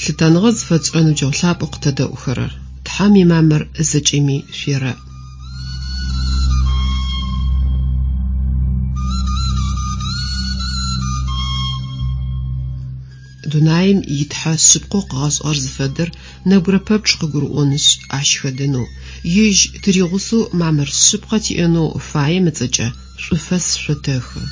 Лъытэныгъэ зыфэтшӏырэ ныбджэгъу лъапӏэу къытэдэӏухэрэр! Тхьэм имамыр зэкӏэми шъуерэӏ. Дунаим и Тхьэ шъыпкъэу къыгъэшӏыгъэр зыфэдэр нэбгырэ пэпчъ къыгурыӏонышъ, ащ хэдэнэу, ежь тыригъусэу мамыр шъыпкъэ тиӏэнэу фаем ыцӏэкӏэ шӏуфэс шъотэхы.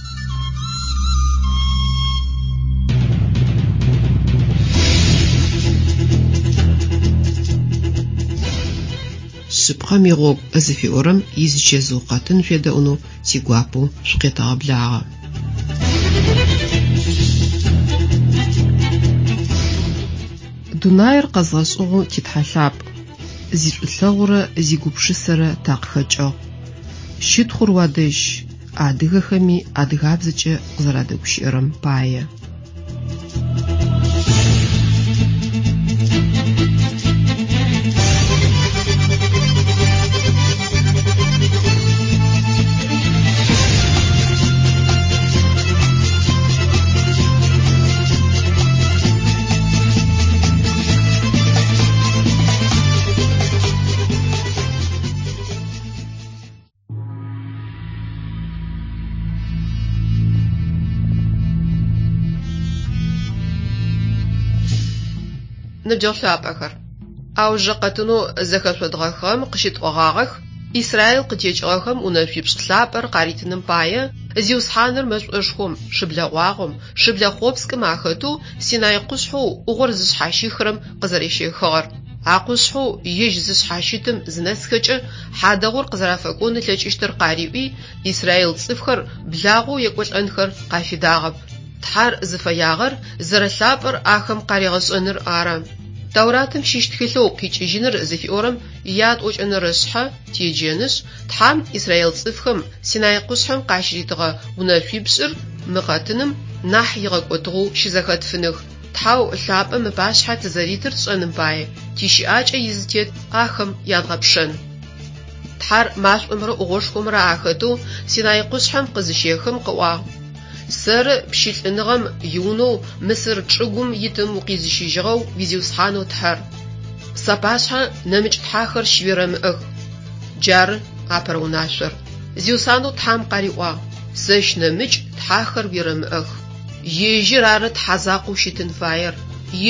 Шъыпкъэм игъогу зыфиӏорэм изычэзыу къэтын шъуедэӏунэу тигуапэу шъукъетэгъэблагъэ. Дунаир къэзгъэшӏыгъэу ти Тхьэ лъапӏ, зишӏулъэгъурэ зигупшысэрэ такъыхэкӏыгъ. Щытхъур уадэжь, адыгэхэми адыгабзэкӏэ къызэрадэгущыӏэрэм пае. Ныбджэгъу лъапӏэхэр, аужырэ къэтынэу зэхэшъодгъэхыгъэм къыщытӏогъагъэх Израил къытекӏыгъэхэм унэшъуипшӏ лъапӏэр къаритыным пае Зиусхьаныр мэшӏошхом, шыблэгъуагъом, шыблэ хъопскӏым ахэтэу Синай къушъхьэу ӏугъор зышъхьащихырэм къызэрещэхыгъэр. А къушъхьэу ежь зышъхьащытым зынэсхэкӏэ хьадэгъур къызэрафэкӏон ылъэкӏыщтыр къариӏуи, израил цӏыфхэр благъэу екӏолӏэнхэр къафидагъэп. Тхьэр зыфэягъэр зэрэлъапӏэр ахэм къаригъэшӏэныр ары. Тауратым щыщ тхылъэу Къикӏыжьыныр зыфиӏорэм ятӏокӏэнэрэ шъхьэ теджэнышъ, Тхьэм израил цӏыфхэм Синай къушъхьэм къащыритыгъэ унэшъуипшӏыр мы къэтыным нахь игъэкӏотыгъэу щызэхэтфыных. Тхьэу лъапӏэм ыпашъхьэ тызэритыр тшӏэным пае тищыӏакӏэ изытет ахэм ядгъэпшэн. Тхьэр машӏомрэ ӏугъошхомрэ ахэтэу Синай къушъхьэм къызыщехым къыӏуагъ: Сэры пщылӏыныгъэм иунэу Мысыр чӏыгум итым укъизыщыжьыгъэу уи Зиусхьанэу Тхьэр. Сапашъхьэ нэмыкӏ тхьэхэр щыуерэмыӏэх. Джары апэрэ унашъор. Зиусхьанэу Тхьэм къариӏуагъ: Сэщ нэмыкӏ тхьэхэр уерэмыӏэх. Ежьыр ары Тхьэ закъоу щытын фаер,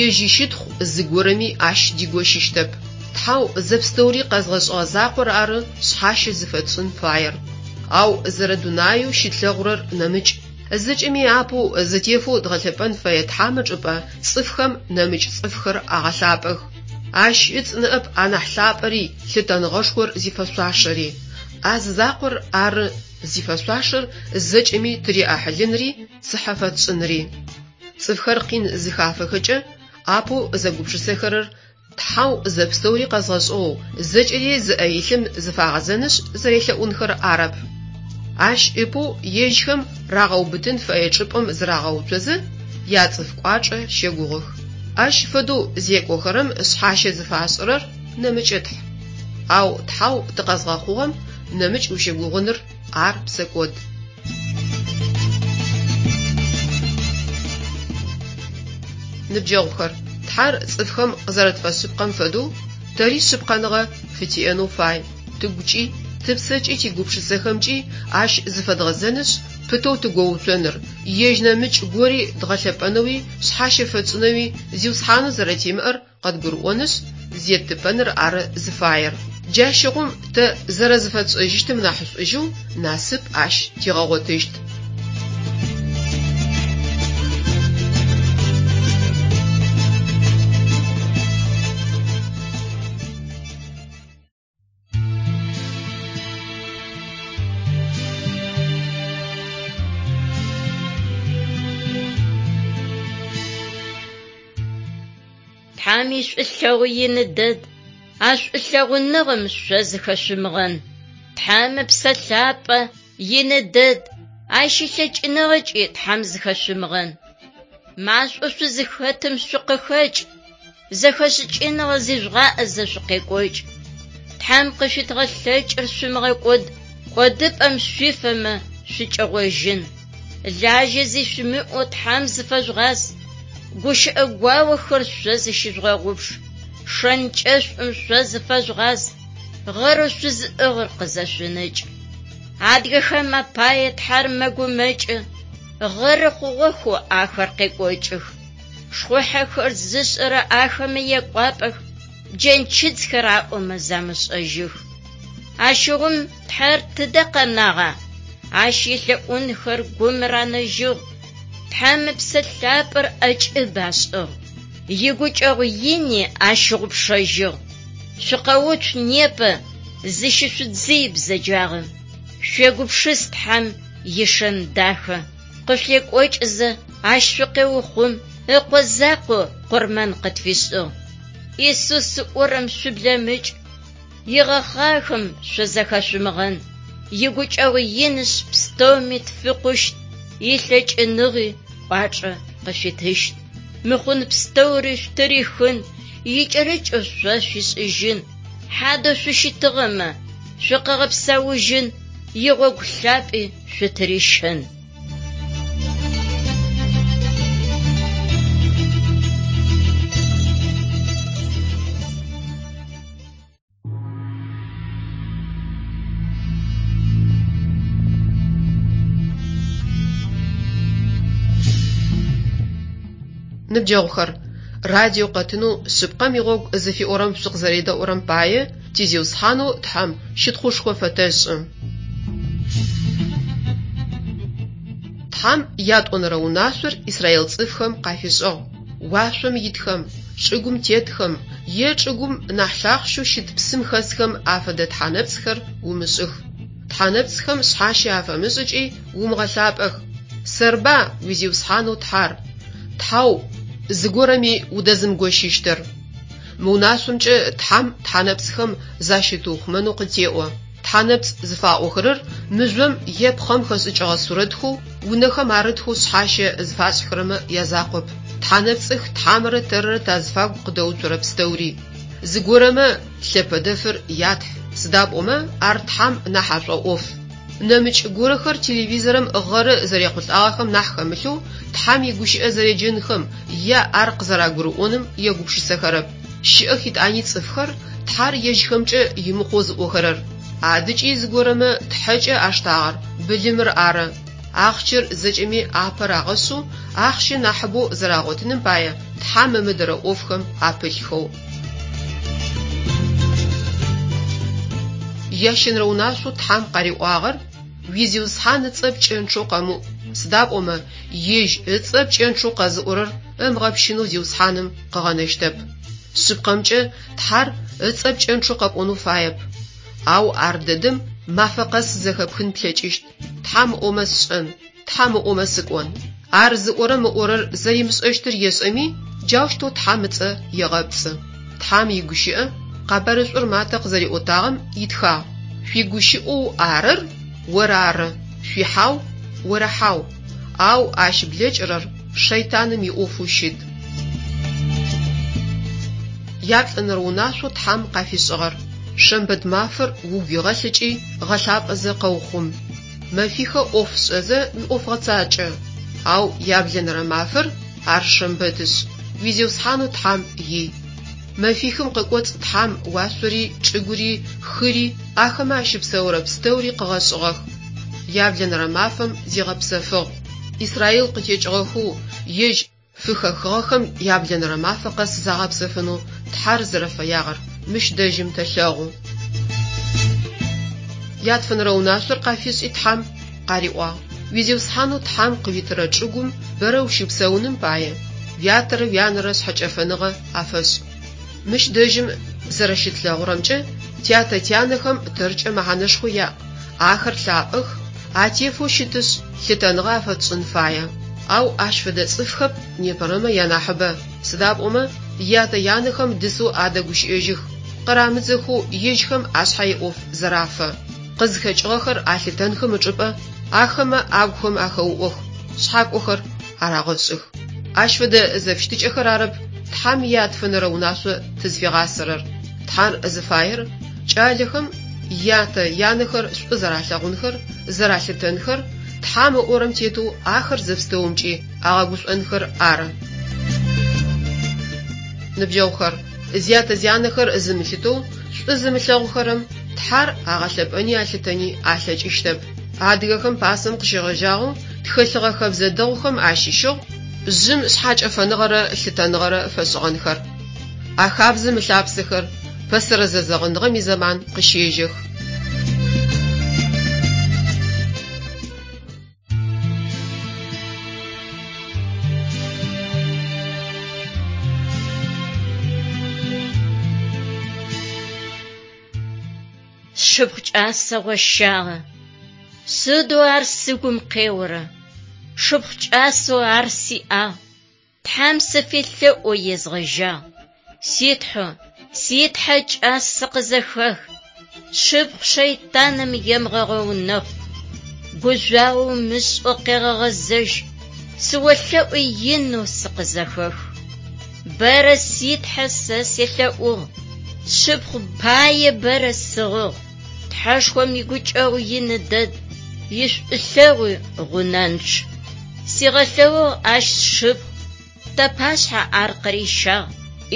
ежь ищытхъу зыгорэми ащ дигощыщтэп. Тхьэу зэпстэури къэзгъэшӏыгъэ закъор ары шъхьащэ зыфэтшӏын фаер. Ау зэрэдунаеу щытлъэгъурэр нэмыкӏ. Зэкӏэми апэу зэтефэу дгъэлъэпӏэн фэе Тхьэм ычӏыпӏэ цӏыфхэм нэмыкӏ цӏыфхэр агъэлъапӏэх. Ащ ыцӏ ныӏэп анахь лъапӏэри, лъытэныгъэшхор зифэшъуашэри. А зы закъор ары зифэшъуашэр зэкӏэми тыриӏахьылынри цыхьэ фэтшӏынри. Цӏыфхэр къин зыхафэхэкӏэ, апэу зэгупшысэхэрэр Тхьэу зэпстэури къэзгъэшӏыгъэу, зэкӏэри зыӏэ илъым зыфагъэзэнышъ зэрелъэӏунхэр арэп. Ащ ыпэу ежьхэм рагъэубытын фэе чӏыпӏэм зырагъэуцозэ, яцӏыф кӏуачӏэ щэгугъых. Ащ фэдэу зекӏохэрэм шъхьащэ зыфашӏырэр нэмыкӏ тхь. Ау Тхьэу тыкъэзгъэхъугъэм нэмыкӏ ущыгугъыныр ар псэкӏод. Ныбджэгъухэр, Тхьэр цӏыфхэм къызэрэтфэшъыпкъэм фэдэу, тэри шъыпкъэныгъэ фытиӏэнэу фай, тыгукӏи, тыпсэкӏи тигупшысэхэмкӏи Ащ зыфэдгъэзэнышъ, пытэу тыгоуцоныр, Ежь нэмыкӏ гори дгъэлъэпӏэнэуи шъхьащэ фэтшӏынэуи Зиусхьанэу зэрэтимыӏэр къэдгурыӏонышъ, зеттыпэныр ары зыфаер. Джащыгъум тэ зэрэзыфэтшӏэжьыщтым нахьышӏужьэу насып Ащ тигъэгъотыщт. Тхьэм ишӏулъэгъу ины дэд, а шӏулъэгъуныгъэм шъо зыхэшъумыгъэн. Тхьэм Ыпсэ Лъапӏэ ины дэд, ащ илъэкӏыныгъэкӏи Тхьэм зыхэшъумыгъэн. Машӏоу шъузыхэтым шъукъыхэкӏ, зэхэшӏыкӏыныгъэ зижъугъаӏэзэ шъукъекӏокӏ. Тхьэм къышъуитыгъэ лъэкӏыр шъумыгъэкӏод, кӏодыпӏэм шъуифэмэ шъукӏэгъожьын. Лажьэ зи шъуимыӏэу Тхьэм зыфэжъугъаз. Гущыӏэ гуаохэр шъо зыщыжъугъэгъупш. Шэнкӏэшӏум шъо зыфэжъугъаз, гъэрэу шъузыӏыгъыр къызэшъунэкӏ. Адыгэхэм апае Тхьэр мэгумэкӏы, гъэры хъугъэхэу ахэр къекӏокӏых. Шхъухьэхэр зышӏэрэ ахэмэ екӏуапӏэх, джэнчыдзхэр аӏомэ замышӏэжьых. Ащыгъум Тхьэр тыдэ къэнагъа? Ащ елъэӏунхэр гум ранэжьыгъ. Тхьэм Ыпсэ Лъапӏэр ӏэкӏыб ашӏыгъ. Игукӏэгъу ини ащыгъупшэжьыгъ. Шъукъэуцу непэ, зыщышъудзый бзэджагъэм. Шъуегупшыс Тхьэм ишэн дахэ. Къышъуекӏокӏызэ, ащ шъукъеухъум, Ыкъо закъо къурмэн къытфишӏыгъ. Исус ыӏорэм шъублэмыкӏ, игъэхъагъэхэм шъузэхэшъумыгъэн. Игукӏэгъу инышъ пстэуми тфикъущт, илъэкӏыныгъи кӏуачӏэ къышъуитыщт. Мыхъун пстэури шъутырихын, икӏэрыкӏэу шъо шъуишӏыжьын. Хьадэу шъущытыгъэмэ, шъукъыгъэпсэужьын, игъогу лъапӏи шъутырищэн. Ныбджэгъухэр, радио къэтынэу Шъыпкъэм игъогу зыфиӏорэм шъукъызэредэӏурэм пае ти Зиусхьанэу Тхьэм щытхъушхо фэтэшӏы. Тхьэм ятӏонэрэ унашъор Израил цӏыфхэм къафишӏыгъ. Уашъом итхэм, чӏыгум тетхэм е чӏыгум нахь лъахъщэу щыт псым хэсхэм афэдэ тхьэнэпцӏхэр умышӏых. Тхьэнэпцӏхэм шъхьащэ афэмышӏ ыкӏи умыгъэлъапӏэх. Сэрба уи Зиусхьанэу Тхьэр, Тхьэу зыгорэми удэзымыгощыщтыр? Мы унашъомкӏэ Тхьэм тхьэнэпцӏхэм защытыухъумэнэу къытеӏо. Тхьэнэпцӏ зыфаӏохэрэр мыжъом е пхъэм хэшӏыкӏыгъэ сурэтхэу унэхэм арытхэу шъхьащэ зыфашӏхэрэмэ язакъоп. Тхьэнэпцӏых Тхьэмрэ тэррэ тазыфагу къыдэуцорэ пстэури. Зыгорэмэ лъэпэдэфыр ятхь, сыда пӏомэ ар Тхьэм нахь ашӏоӏоф. Нэмыкӏ горэхэр телевизорым гъэры зэрехъулӏагъэхэм нахь хэмылъэу Тхьэм игущыӏэ зэреджэнхэм е ар къызэрагурыӏоным егупшысэхэрэп. Щыӏэх итӏани цӏыфхэр Тхьэр ежьхэмкӏэ имыкъоу зыӏохэрэр. Адыкӏи зыгорэмэ тхьэкӏэ аштагъэр былымыр ары. Ахъщэр зэкӏэми апэ рагъэшъэу, ахъщэ нахьыбэу зэрагъотыным пае Тхьэм ымыдэрэ ӏофхэм апылъхэу. Ящэнэрэ унашъоу Тхьэм къариӏуагъэр Уи Зиусхьан ыцӏэ пкӏэнчъэу къэмыӏу, сыда пӏомэ Ежь ыцӏэ пкӏэнчъэу къэзыӏорэр ымыгъэпщынэу Зиусхьаным къыгъэнэщтэп. Шъыпкъэмкӏэ, Тхьэр ыцӏэ пкӏэнчъэу къэпӏонэу фаеп. Ау ар дэдэм мафэ къэс зэхэпхын плъэкӏыщт, Тхьэм ыӏомэ сшӏэн, Тхьэм ыӏомэ сыкӏон. Ар зыӏорэм ыӏорэр зэримышӏэщтыр ешӏэми, джаущтэу Тхьэм ыцӏэ егъэпцӏы. Тхьэм игущыӏэ Къэбарышӏур Матэ къызэриӏотагъэм итхагъ, Шъуигущыӏэу арыр орары, шъуихьау орэхьау, ау ащ блэкӏырэр шэйтаным иӏофэу щыт. Яплӏэнэрэ унашъоу Тхьэм къафишӏыгъэр, шэмбэт мафэр угу игъэлъ ыкӏи гъэлъапӏэзэ къэухъум. Мэфихэ ӏоф шӏэзэ уиӏоф гъэцакӏэ, ау яблэнэрэ мафэр ар шэмбэтышъ, уи Зиусхьанэу Тхьэм ий. Мэфихым къыкӏоцӏ Тхьэм уашъори, чӏыгури, хыри, ахэмэ ащыпсэурэ пстэури къыгъэшӏыгъэх. Яблэнэрэ мафэм зигъэпсэфыгъ. Израил къытекӏыгъэхэу ежь фыхэхыгъэхэм яблэнэрэ мафэ къэс загъэпсэфынэу Тхьэр зэрэфэягъэр мыщ дэжьым тэлъэгъу. Ятфэнэрэ унашъор къафишӏи Тхьэм къариӏуагъ, Уи Зиусхьанэу Тхьэм къыуитырэ чӏыгум бэрэ ущыпсэуным пае, уятэрэ уянэрэ шъхьэкӏэфэныгъэ афэшӏ. Мыщ дэжьым зэрэщытлъэгъурэмкӏэ, тятэ-тянэхэм тэркӏэ мэхьанэшхо яӏ, ахэр лъапӏэх, атефэу щытышъ, лъытэныгъэ афэтшӏын фае. Ау ащ фэдэ цӏыфхэп непэрэмэ янахьыбэ, сыда пӏомэ ятэ-янэхэм дысэу адэгущыӏэжьых, къырамыдзэхэу ежьхэм ашъхьэ иӏоф зэрафэ. Къызхэкӏыгъэхэр алъытэнхэм ычӏыпӏэ ахэмэ агухэм ахэуӏох, шъхьакӏохэр арагъэшӏых. Ащ фэдэ зэфыщытыкӏэхэр арэп Тхьэм ятфэнэрэ унашъо тызфигъасэрэр. Тхьэр зыфаер кӏалэхэм ятэ янэхэр шӏу зэралъэгъунхэр, зэралъытэнхэр, Тхьэм ыӏорэм тетэу ахэр зэпстэумкӏи агъэгушӏонхэр ары. Ныбджэгъухэр, зятэ-зянэхэр зымылъытэу, шӏу зымылъэгъухэрэм Тхьэр агъэлъэпӏэни алъытэни алъэкӏыщтэп. Адыгэхэм пасэм къыщегъэжьагъэу тхэлъыгъэ хэбзэ дэгъухэм ащыщыгъ жъым шъхьэкӏэфэныгъэрэ лъытэныгъэрэ фэшӏыгъэнхэр. А хабзэм ылъапсэхэр пэсэрэ зэзэгъыныгъэм изэман къыщежьэх. Сшыпхъу кӏасэ гъощагъэ. Сыдэу ар сыгум къеорэ. Шыпхъу кӏасэу ар сиӏагъ. Тхьэм сыфелъэӏоу езгъэжьагъ. Си Тхьэу, си Тхьэ кӏас, сыкъызэхэх. Сшыпхъу шэйтаным емыгъэгъэунэхъу. Гужъуагъэу умышӏэу къегъэгъэзэжь. Сыолъэӏу инэу сыкъызэхэх. Бэрэ си Тхьэ сэ селъэӏугъ. Сшыпхъу пае бэрэ сыгъыгъ. Тхьэшхом игукӏэгъу ины дэд, ишӏулъэгъуи гъунэнчъ. Сигъэлъэгъугъ ащ сшыпхъу, тапашъхьэ ар къырищагъ.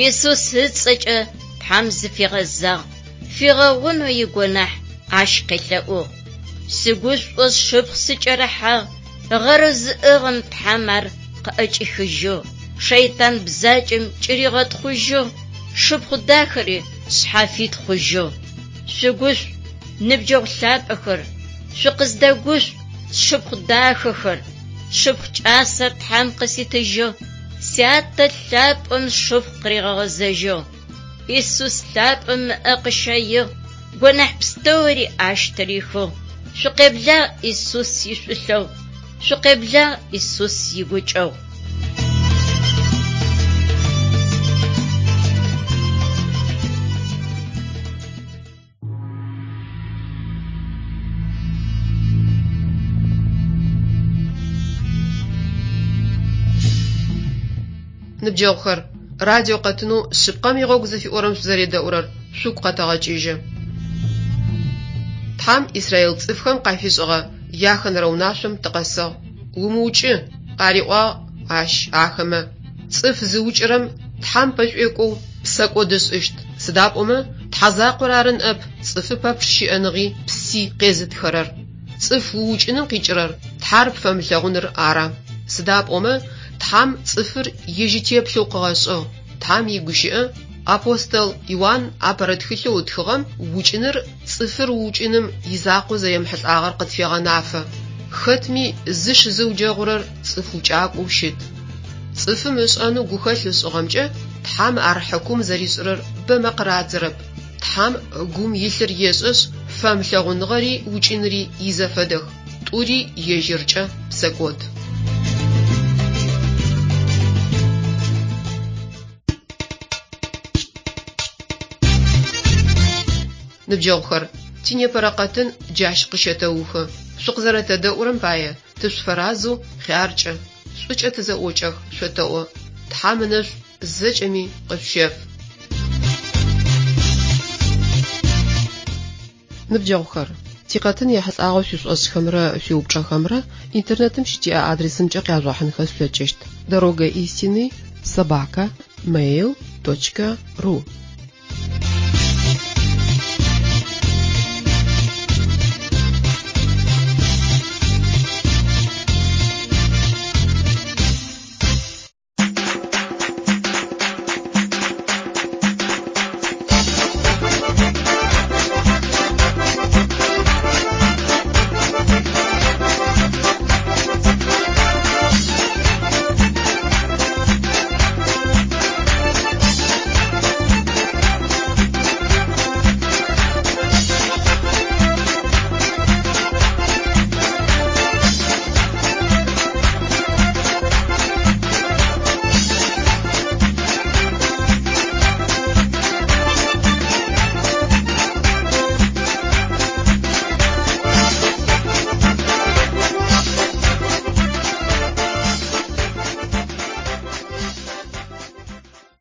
Исус ыцӏэкӏэ Тхьэм зыфигъэзагъ, фигъэгъунэу игонахь ащ къелъэӏугъ. Сыгушӏоу сшыпхъу сыкӏэрыхьагъ, гъэрэу зыӏыгъым Тхьэм ар къыӏэкӏихыжьыгъ, шэйтан бзаджэм кӏыригъэтхъужьыгъ, шыпхъу дахэри шъхьафит хъужьыгъ. Шъугушӏу, ныбджэгъу лъапӏэхэр, шъукъыздэгушӏу, сшыпхъу дахэхэр, сшыпхъу кӏасэр Тхьэм къыситыжьыгъ, сятэ лъапӏэм сшыпхъу къыригъэгъэзэжьыгъ. Исус лъапӏэм ыӏэ къыщэигъ, гонахь пстэури ащ тырихыгъ. Шъукъеблагъ Исус ишӏулъэгъу, шъукъеблагъ Исус игукӏэгъу. Ныбджэгъухэр, радио къэтынэу Шъыпкъэм игъогу зыфиӏорэм шъузэредэӏурэр шъугу къэтэгъэкӏыжьы. Тхьэм Израил цӏыфхэм къафишӏыгъэ яхэнэрэ унашъом тыкъэсыгъ. Умыукӏы, къариӏуагъ ащ ахэмэ. Цӏыф зыукӏырэм Тхьэм пэшӏуекӏоу псэкӏод ышӏыщт, сыда пӏомэ Тхьэ закъор ары ныӏэп цӏыфы пэпчъ щыӏэныгъи пси къезытхэрэр. Цӏыф уукӏыным къикӏырэр Тхьэр пфэмылъэгъуныр ары. Сыда пӏомэ Тхьэм цӏыфыр ежь итеплъэу къыгъэшӏыгъ. Тхьэм игущыӏэ апостол Иуан апэрэ тхылъэу ытхыгъэм укӏыныр цӏыфыр уукӏыным изакъоу зэремыхьылӏагъэр къытфегъэнафэ. Хэтми зыш зыуджэгъурэр цӏыф укӏакӏоу щыт. Цӏыфым ышӏэнэу гухэлъ ышӏыгъэмкӏэ Тхьэм ар хьыкум зэришӏырэр бэмэ къырадзэрэп. Тхьэм гум илъыр ешӏэшъ, фэмылъэгъуныгъэри укӏыныри изэфэдэх, тӏури ежьыркӏэ псэкӏод. Ныбджэгъухэр, тинепэрэ къэтын джащ къыщэтэухы. Шъукъызэрэтэдэӏурэм пае тышъуфэразэу хъяркӏэ, шӏукӏэ тызэӏокӏэх шъотэӏо. Тхьэм ынэшӏу зэкӏэми къышъущеф. Ныбджэгъухэр, тикъэтын ехьылӏагъэу шъуишӏошӏхэмрэ шъуиупчӏэхэмрэ интернетым щытиӏэ адресымкӏэ къяжъугъэхьынхэ шъулъэкӏыщт: дорога истины собака mail точка ру.